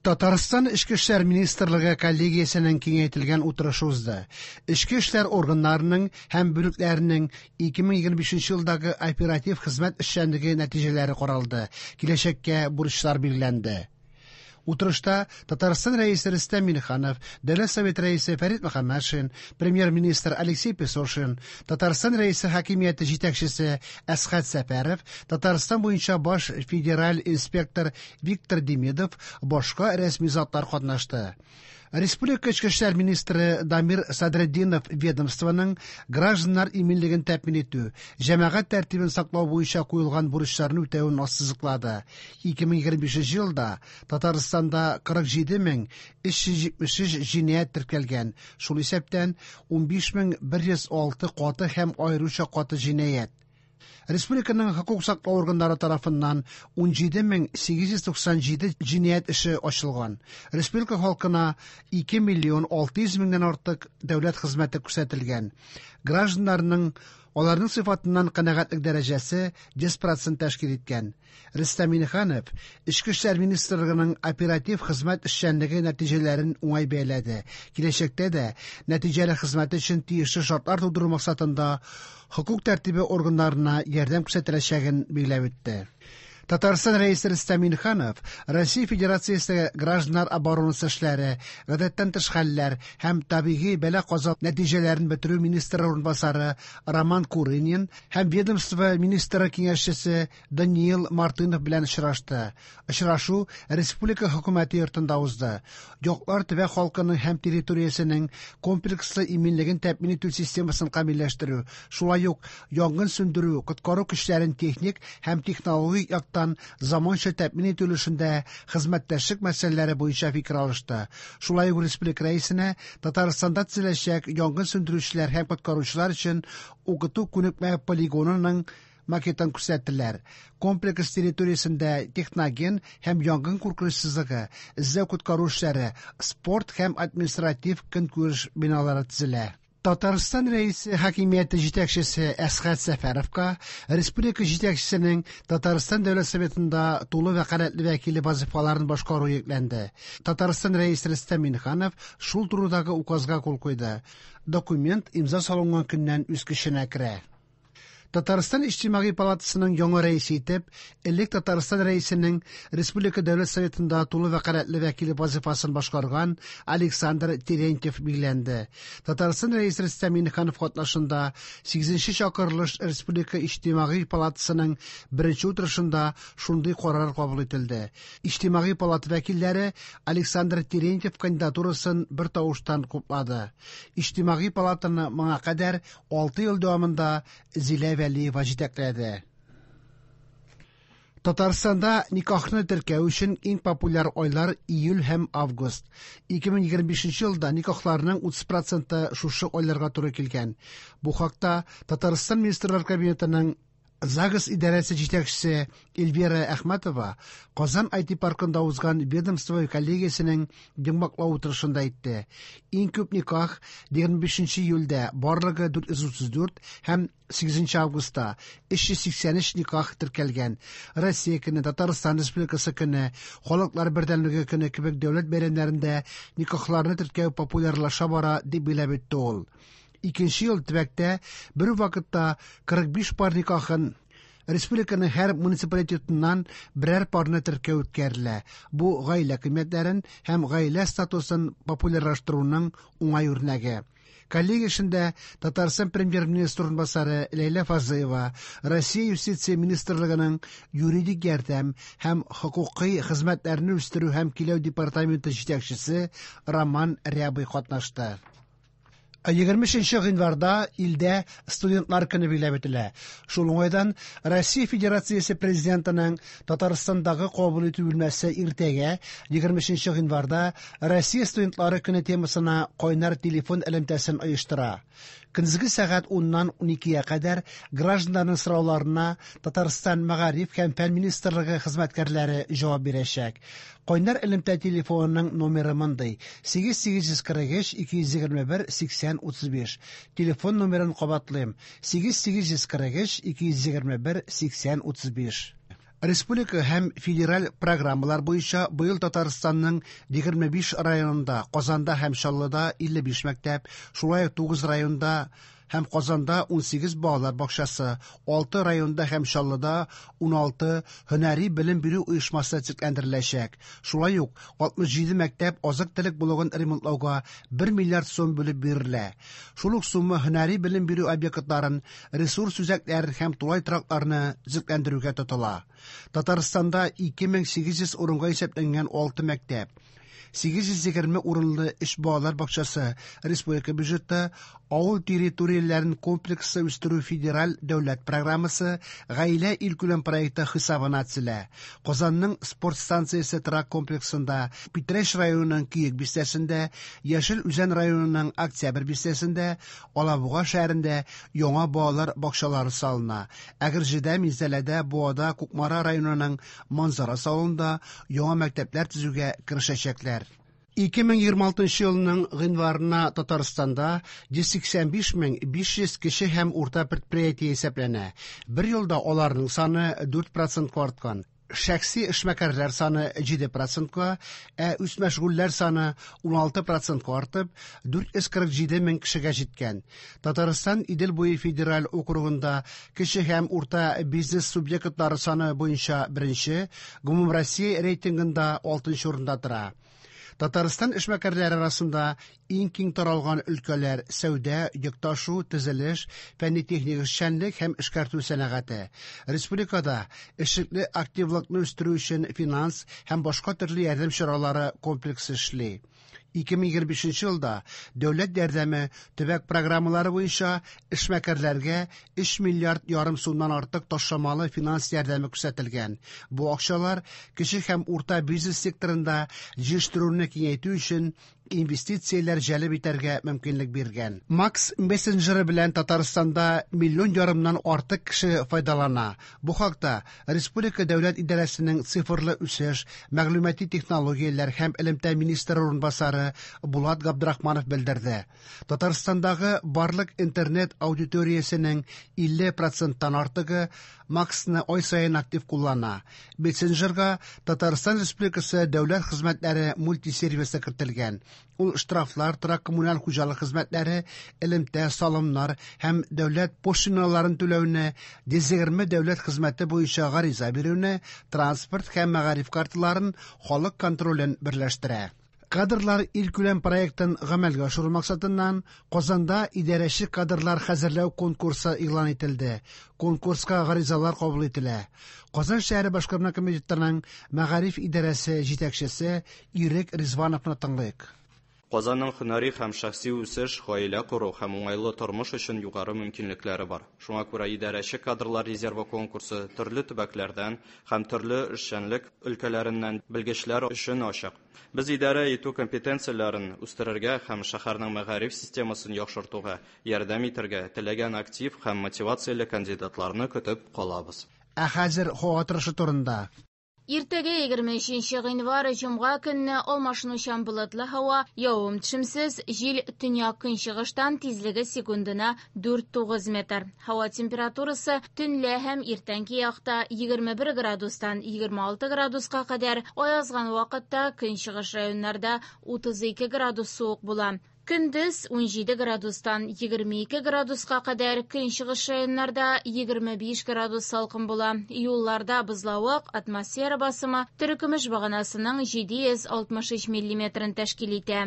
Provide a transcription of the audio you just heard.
Татарстан Эчке эшләр министрлыгы коллегиясенең киңәйтелгән утырышы узды. Эчке эшләр органнарының һәм бүлекләренең 2025 елдагы оператив хезмәт эшчәнлеге нәтиҗәләре каралды, киләчәккә бурычлар билгеләнде. Утырышта Татарстан Рәисе Рөстәм Миңнеханов, Дәүләт Советы Рәисе Фәрит Мөхәммәтшин, Премьер-министр Алексей Песошин, Татарстан Рәисе хакимияте җитәкчесе Әсхәт Сәфәров, Татарстан буенча баш федераль инспектор Виктор Демидов, башка рәсми затлар катнашты. Республика Эчке эшләр министры Дамир Садретдинов ведомствоның гражданнар иминлеген тәэмин итү, җәмәгать тәртибен саклау буенча куелган бурычларны үтәвен ассызыклады. 2025 елда Татарстанда 47 373 җинаять теркәлгән, шул исәптән 15 106 каты һәм аеруча каты җинаять. Республиканың хокук саклау органнары тарафыннан 17 897 җинаять эше ачылган. Республика халкына 2 миллион 600 меңнән артык дәүләт хезмәте күрсәтелгән. Гражданнарның аларның сыйфатыннан канәгатьлек дәрәҗәсе 100% тәшкил иткән. Рөстәм Миңнеханов Эчке эшләр министрлыгының оператив хезмәт эшчәнлеге нәтиҗәләрен уңай бәяләде. Киләчәктә дә нәтиҗәле хезмәт өчен тиешле шартлар тудыру максатында хокук тәртибе органнарына ярдәм күрсәтеләчәген билгеләп үтте. Татарстан Рәисе Рөстәм Миңнеханов Россия Федерациясе гражданнар оборонасы эшләре, гадәттән тыш хәлләр һәм табигый бәла-каза нәтиҗәләрен бетерү министры урынбасары Роман Курынин һәм ведомство министры киңәшчесе Даниил Мартынов белән очрашты. Очрашу Республика хөкүмәте йортында узды. Яклар төбәк халкының һәм территориясенең комплекслы иминлеген тәэмин итү системасын камилләштерү, шулай ук янгын сүндерү, коткару көчләрен техник һәм технологик яктан заманча тәэмин итү өлешендә хезмәттәшлек мәсьәләләре буенча фикер алышты. Шулай ук республика рәисенә Татарстанда төзеләчәк янгын сүндерүчеләр һәм коткаручылар өчен укыту күнекмә полигонының макетын күрсәттеләр. Комплекс территориясендә техноген һәм янгын куркынычсызлыгы, эзләү коткару эшләре, спорт һәм административ көнкүреш биналары төзелә. Татарстан Рәисе хакимияте җитәкчесе Әсхәт Сәфәровка республика җитәкчесенең Татарстан Дәүләт Советында тулы вәкаләтле вәкиле вазифаларын башкару йөкләнде. Татарстан Рәисе Рөстәм Миңнеханов шул турыдагы указга кул куйды. Документ имза салынган көннән үз көченә керә. Татарстан Иҗтимагый палатасының яңа рәисе итеп, элек Татарстан Рәисенең Республика Дәүләт Советында тулы вәкаләтле вәкиле вазифасын башкарган Александр Терентьев билгеләнде. Татарстан Рәисе Рөстәм Миңнеханов катнашында 8 чакырылыш Республика Иҗтимагый палатасының беренче утырышында шундый карар кабул ителде. Иҗтимагый палата вәкилләре Александр Терентьев кандидатурасын бер тавыштан хуплады. Иҗтимагый палатаны моңа кадәр 6 ел дәвамында Зилә Вәлиева җитәкләде. Татарстанда никахны теркәү өчен иң популяр айлар июль һәм август. 2025 елда никахларның 30% шушы айларга туры килгән. Бу хакта Татарстан Министрлар Кабинетының ЗАГС идарәсе җитәкчесе Эльвира Әхмәтова Казан IT паркында узган ведомство коллегиясенең йомгаклау утырышында әйтте. Иң күп никах 25 июльдә барлыгы 434 һәм 8 августта 383 никах теркәлгән. Россия көне, Татарстан Республикасы көне, Халыклар бердәмлеге көне кебек дәүләт бәйрәмнәрендә никахларны теркәү популярлаша бара, дип билгеләп үтте ул. Икенче ел төбәктә бер үк вакытта 45 пар никахын республиканың һәр муниципалитетыннан берәр парны теркәү үткәрелә. Бу гаилә кыйммәтләрен һәм гаилә статусын популярлаштыруның уңай үрнәге. Коллегия эшендә Татарстан премьер-министры урынбасары Ләйлә Фазлыева, Россия Юстиция министрлыгының юридик ярдәм һәм хокукый хезмәтләрне үстерү һәм көйләү департаменты җитәкчесе Роман Рябый катнашты. 23 гыйнварда илдә студентлар көне билгеләп үтелә. Шул уңайдан Россия Федерациясе Президентының Татарстандагы кабул итү бүлмәсе иртәгә 23 гыйнварда Россия студентлары көне темасына кайнар телефон элемтәсен оештыра. Көндезге сәгать 10-нан 12-гә кадәр гражданнарның сорауларына Татарстан Мәгариф һәм фән министрлыгы хезмәткәрләре җавап бирәчәк. Кайнар элемтә телефонының номеры мондый: 8843 221 80 35. Телефон номерын кабатлыйм: 8843 221 80 35. Республика һәм федераль программалар буенча быел Татарстанның 25 районында, Казанда һәм Чаллыда 55 мәктәп, шулай ук 9 районда һәм Казанда 18 балалар бакчасы, 6 районда һәм Чаллыда 16 һөнәри белем бирү оешмасы төзекләндереләчәк. Шулай ук 67 мәктәп азык-төлек блогын ремонтлауга 1 миллиард сум бүлеп бирелә. Шул ук сумма һөнәри белем бирү объектларын, ресурс үзәкләрен һәм тулай торакларны төзекләндерүгә тотыла. Татарстанда 2800 урынга исәпләнгән 6 мәктәп, 820 урынлы өч балалар бакчасы республика бюджеты, авыл территорияләрен комплекслы үстерү федераль дәүләт программасы, гаилә илкүләм проекты хисабына төзелә. Казанның спорт станциясе торак комплексында, Питрәч районының Көек бистәсендә, Яшел Үзән районының Октябрь бистәсендә, Алабуга шәһәрендә яңа балалар бакчалары салына. Әгерҗедә, Минзәләдә, Буада, Кукмара районының Манзара авылында яңа мәктәпләр төзүгә керешәчәкләр. 2026 елның гыйнварына Татарстанда 185 мең 500 кече һәм урта предприятие исәпләнә. Бер елда аларның саны 4 процентка арткан. Шәхси эшмәкәрләр саны 7 процентка, ә үзмәшгульләр саны 16 процентка артып, 447 мең кешегә җиткән. Татарстан Идел буе федераль округында кече һәм урта бизнес субъектлары саны буенча беренче, гомумроссия рейтингында 6 урында тора. Татарстан эшмәкәрләре арасында иң киң таралган өлкәләр сәүдә, йөк ташу, төзелеш, фәнни-техник эшчәнлек һәм эшкәртү сәнәгате. Республикада эшлекле активлыкны үстерү өчен финанс һәм башка төрле ярдәм чаралары комплексы эшли. 2025 елда дәүләт ярдәме төбәк программалары буенча эшмәкәрләргә 3 миллиард ярым сумнан артык ташламалы финанс ярдәме күрсәтелгән. Бу акчалар кече һәм урта бизнес секторында җитештерүне киңәйтү өчен инвестицияләр җәлеп итәргә мөмкинлек биргән. Макс мессенджеры белән Татарстанда миллион ярымнан артык кеше файдалана. Бу хакта Республика дәүләт идарәсенең цифрлы үсеш, мәгълүмати технологияләр һәм элемтә министры урынбасары Булат Габдрахманов белдерде. Татарстандагы барлык интернет аудиториясенең 50 проценттан артыгы Максны ай саен актив куллана. Мессенджерга Татарстан Республикасы дәүләт хезмәтләре мультисервисы кертелгән. Ул штрафлар, торак коммуналь хуҗалык хезмәтләре, элемтә, салымнар һәм дәүләт пошлиналарын түләүне, 120 дәүләт хезмәте буенча гариза бирүне, транспорт һәм мәгариф карталарын, халык контролен берләштерә. Кадрлар илкүләм проектын гамәлгә ашыру максатыннан Казанда идарәче кадрлар хәзерләү конкурсы игълан ителде. Конкурска гаризалар кабул ителә. Казан шәһәре башкарма комитетының мәгариф идарәсе җитәкчесе Ирек Ризвановны тыңлыйк. Казанның һөнәри һәм шәхси үсеш, гаилә кору һәм уңайлы тормыш өчен югары мөмкинлекләре бар. Шуңа күрә идарәче кадрлар резервы конкурсы төрле төбәкләрдән һәм төрле эшчәнлек өлкәләреннән белгечләр өчен ачык. Без идарә итү компетенцияләрен үстерергә һәм шәһәрнең мәгариф системасын яхшыртуга ярдәм итәргә теләгән актив һәм мотивацияле кандидатларны көтеп калабыз. Ә хәзер һава торышы турында. Иртәгә 23 гыйнвар җомга көнне алмашынучан болытлы һава, явым-төшемсез, җил төньяк-көнчыгыштан, тизлеге секундына 4-9 метр. Һава температурасы төнлә һәм иртәнге якта 21 градустан 26 градуска кадәр, аязган вакытта көнчыгыш районнарда 32 градус суык була. Көндез 17 градустан 22 градуска кадәр, көнчыгыш районнарда 25 градус салкын була. Юлларда бозлавык, атмосфера басымы терекөмеш баганасының 763 миллиметрын тәшкил итә.